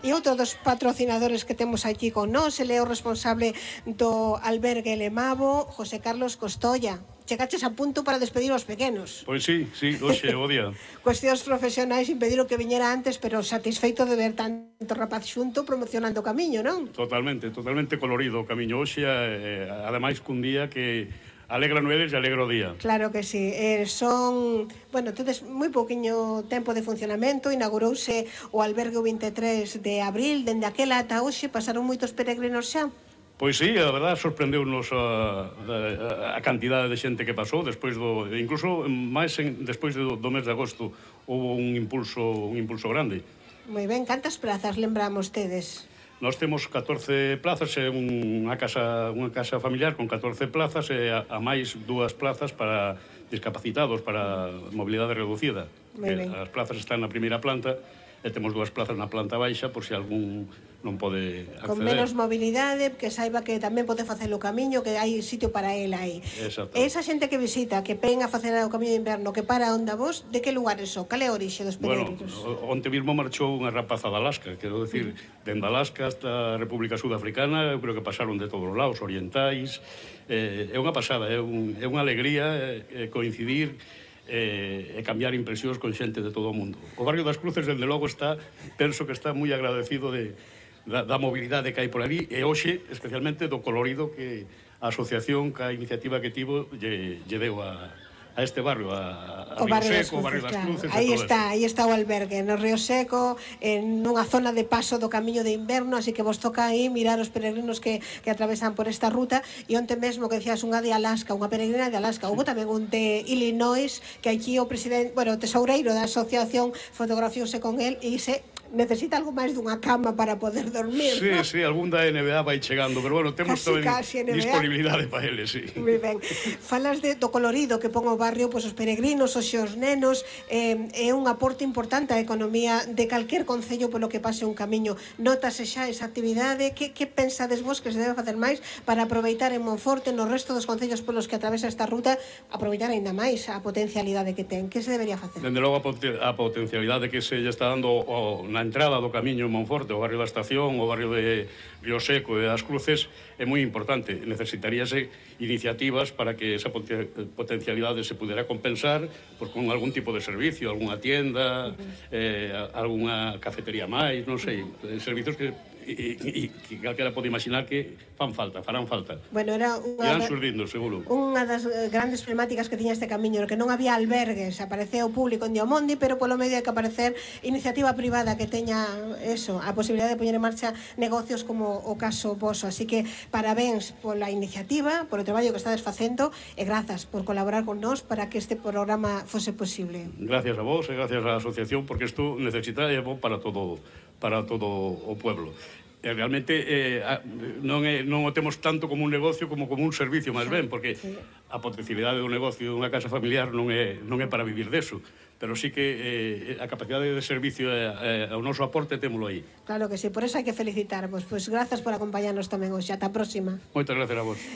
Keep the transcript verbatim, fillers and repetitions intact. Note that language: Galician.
E outro dos patrocinadores que temos aquí con nós, ele é o responsable do albergue Lemavo, José Carlos Costolla. Chegaches a punto para despedir os pequenos. Pois sí, sí, hoxe é o día. Cuestións profesionais impediron que viñera antes, pero satisfeito de ver tanto rapaz xunto promocionando o camiño, non? Totalmente, totalmente colorido o camiño hoxe, eh, ademais cun día que alegra eles e alegra o día. Claro que sí, eh, son, bueno, tedes moi pouquiño tempo de funcionamento, inaugurouse o albergue o vinte e tres de abril, dende aquela ata hoxe pasaron moitos peregrinos xa. Pois sí, a verdade sorprendeu-nos a, a, a cantidade de xente que pasou despois do, incluso máis en, despois do, do mes de agosto houve un impulso un impulso grande. Moi ben, cantas prazas lembramos tedes? Nós temos catorce plazas, é unha casa unha casa familiar con catorce plazas e a, a máis dúas plazas para discapacitados, para mobilidade reducida. As plazas están na primeira planta e temos dúas plazas na planta baixa por se algún non pode acceder. Con menos mobilidade, que saiba que tamén pode facer o camiño, que hai sitio para el aí. Exacto. Esa xente que visita, que ven a facer o camiño de inverno, que para onde vos, de que lugares son? Cal é a orixe dos peregrinos? Bueno, onte mesmo marchou unha rapaza de Alaska, quero decir, dende Alaska hasta a República Sudafricana, eu creo que pasaron de todos os lados, orientais, eh, é unha pasada, é, un, é unha alegría eh, coincidir e cambiar impresións con xente de todo o mundo. O barrio das Cruces, dende logo, está, penso que está moi agradecido de, da, da mobilidade que hai por ali, e hoxe, especialmente, do colorido que a asociación, que a iniciativa que tivo, lle, lle deu a, a este barrio, a, a Río Seco, o barrio das Cruces, aí está, eso. aí está o albergue, no Río Seco, en unha zona de paso do camiño de inverno, así que vos toca aí mirar os peregrinos que, que atravesan por esta ruta. E onte mesmo que decías unha de Alaska, unha peregrina de Alaska, houve tamén un de Illinois, que aquí o presidente, bueno, o tesoureiro da asociación fotografiouse con el e se necesita algo máis dunha cama para poder dormir, sí, ¿no? Sí, algún da N B A vai chegando, pero bueno, temos casi, tamén casi disponibilidade para eles, sí. Moi ben. Falas de, do colorido que pon o barrio, pois os peregrinos, os xeos nenos, eh, é un aporte importante á economía de calquer concello polo que pase un camiño. Notase xa esa actividade? Que, que pensades vos que se debe facer máis para aproveitar en Monforte, no resto dos concellos polos que atravesa esta ruta, aproveitar aínda máis a potencialidade que ten? Que se debería facer? Dende logo a, poten a potencialidade que se lle está dando o, na entrada do camiño en Monforte, o barrio da Estación, o barrio de Río Seco e das Cruces, é moi importante. Necesitaríase iniciativas para que esa potencialidade se pudera compensar pues, con algún tipo de servicio, algunha tienda, uh-huh. eh, algunha cafetería máis, non sei, servicios que e, e, e que calquera pode imaginar que fan falta, farán falta. Bueno, era unha, irán surdindo, seguro. Unha das grandes problemáticas que tiña este camiño, que non había albergues, apareceu o público en Diomondi, pero polo medio hai que aparecer iniciativa privada que teña eso, a posibilidade de poñer en marcha negocios como o caso voso. Así que parabéns pola iniciativa, por o traballo que estades facendo e grazas por colaborar con nós para que este programa fose posible. Gracias a vos e gracias á asociación, porque isto necesita é bo para todo para todo o pueblo. E realmente eh, non, é, non o temos tanto como un negocio como como un servicio, máis ben, porque a potencialidade do negocio dunha casa familiar non é, non é para vivir deso, pero sí que eh, a capacidade de servicio e eh, o noso aporte témolo aí. Claro que sí, por eso hai que felicitarvos. Pois grazas por acompañarnos tamén hoxe. Ata a próxima. Moitas gracias a vos.